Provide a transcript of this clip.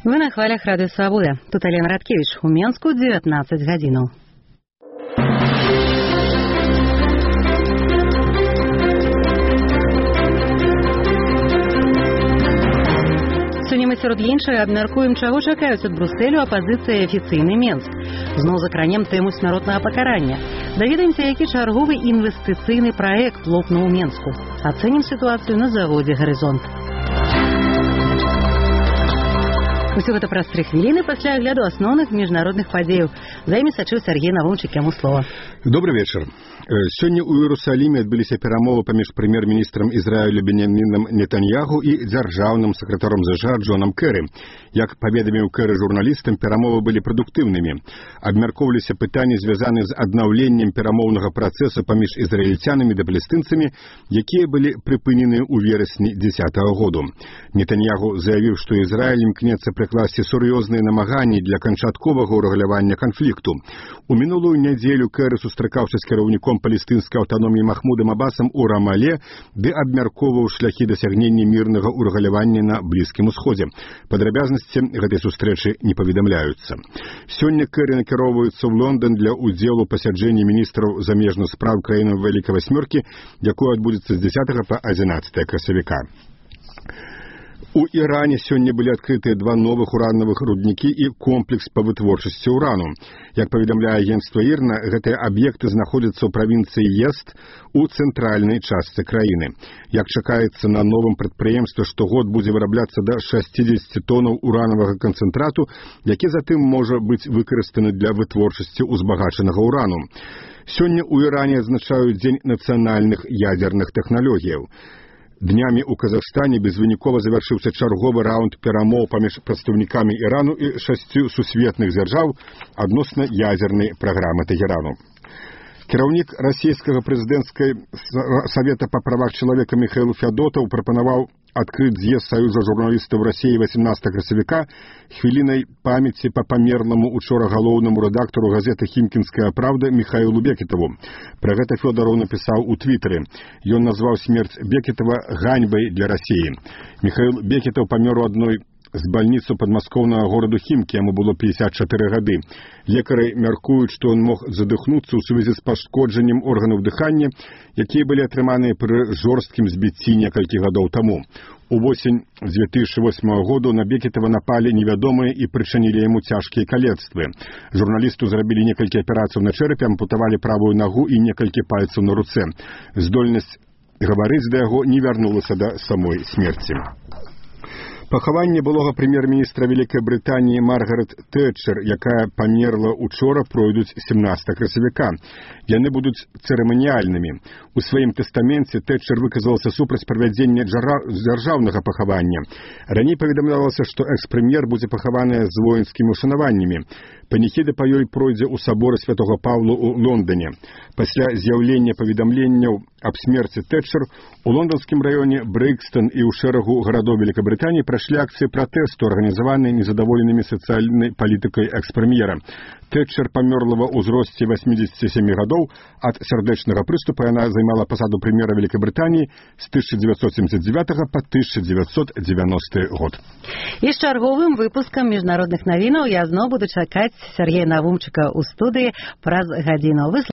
Вы на хвалях Радыё Свабода. Тут Алена Радкевич. У Менску 19 гадзінаў. Сёння мы сярод іншага абмяркуем, чаго чакаюць ад Брустэлю апазіцыя і афіцыйны Менск. Зноў закранем тэму смяротнага пакарання. Даведаемся, які чарговы інвестыцыйны праект лопнуў у Менску. Ацэнім сітуацыю на заводзе «Гарызонт». Усё гэта праз 3 хвіліны пасля агляду асноўных міжнародных падзеяў. За імі сачыў Сергей Навумчык, яму слова. Добрый вечер. Сёння ў Іерусаліме адбыліся перамовы паміж прэм'ер-міністрам Ізраілю Беньямінам Нетаньяху і дзяржаўным сакратаром ЗША Джонам Кэры. Як паведаміў Кэры журналістам, перамовы былі прадуктыўнымі. Абмяркоўваліся пытанні, звязаныя з аднаўленнем перамоўнага працэсу паміж ізраільцянамі да палестынцамі, якія былі прыпынены ў верасні 2010 году. Нетаньяху заявіў, што Ізраіль імкнецца прыкласці сур'ёзныя намаганні для канчатковага ўрэгулявання канфлікту. У мінулую нядзелю Кэры сустракаўся з кіраўніком палестынскай аўтаноміі Махмудам Абасам у Рамале, ды абмяркоўваў шляхі дасягнення мірнага ўрэгулявання на Блізкім Усходзе. Падрабязнасці гэтай сустрэчы не паведамляюцца. Сёння Кэры накіроўваюцца ў Лондан для ўдзелу пасяджэння міністраў замежных спраў краінаў Вялікай Васьмёркі, якое адбудзецца з 10 па 11 красавіка. У Іране сёння былі адкрытыя 2 новых уранавых руднікі і комплекс па вытворчасці ўрану. Як паведамляе агенцтва ІРНА, гэтыя аб'екты знаходзяцца ў правінцыі Езд у цэнтральнай частцы краіны. Як чакаецца, на новым прадпрыемстве штогод будзе вырабляцца да 60 тонаў уранавага канцэнтрату, які затым можа быць выкарыстаны для вытворчасці ўзбагачанага ўрану. Сёння ў Іране адзначаюць Дзень нацыянальных ядзерных тэхналогіяў. Днямі ў Казахстане безвынікова завяршыўся чарговы раунд перамоў паміж прадстаўнікамі Ірану і 6 сусветных дзяржаў адносна ядзернай праграмы Тэхерану. Кіраўнік расійскага прэзідэнцкай савета па правах чалавека Міхаіл Фядотаў прапанаваў адкрыць з'езд Саюза журналістаў Расіі 18 красавіка хвілінай памяці па памерламу учора галоўнаму рэдактару газеты «Хімкінская правда» Міхаілу Бекетаву. Пра гэта Фёдараў напісаў у твітары. Ён назваў смерць Бекетава ганьбай для Расіі. Міхаіл Бекетаў памёр у адной з бальніцу падмаскоўнага гораду Хімкі, яму было 54 гады. Лекары мяркуюць, што ён мог задыхнуцца ў сувязі з пашкоджаннем органаў дыхання, якія былі атрыманыя пры жорсткім збіцці некалькі гадоў таму. Увосень 2008 году на Бекетава напалі невядомыя і прычынілі яму цяжкія калецтвы. Журналісту зрабілі некалькі аперацыяў на чэрапе, ампутавалі правую нагу і некалькі пальцаў на руцэ. Здольнасць гаварыць да яго не вярнулася да самой смерці. Пахаванне былога прэм'ер-міністра Вялікай Брытаніі Маргарет Тэтчер, якая памерла учора, пройдуць 17 красавіка. Яны будуць цырыманіяльнымі. У сваім тэстаменце Тэтчер выказалася супраць правядзення дзяржаўнага пахавання. Раней паведамлялася, што экс-прэм'ер будзе пахаваная з воінскімі ушанаваннямі. Паніхіда па ёй пройдзе ў саборы Святога Паўла ў Лондане. Пасля з'яўлення паведамленняў аб смерці Тэтчер у лонданскім раёне Брыкстон і ў шэрагу гарадоў Великабрытаніі прайшлі акцыі пратэсту, арганізаваныя незадаволенымі сацыяльнай палітыкай экс-прэм'ера. Тэтчер памерла ва ўзросце 87 гадоў. Ад сардэчнага прыступа яна займала пасаду прэм'ера Великабрытаніі з 1979 па 1990 год. І з чарговым выпускам міжнародных навінаў я зноў буду чакаць Сергея Навумчыка ў студыі праз гадзіну.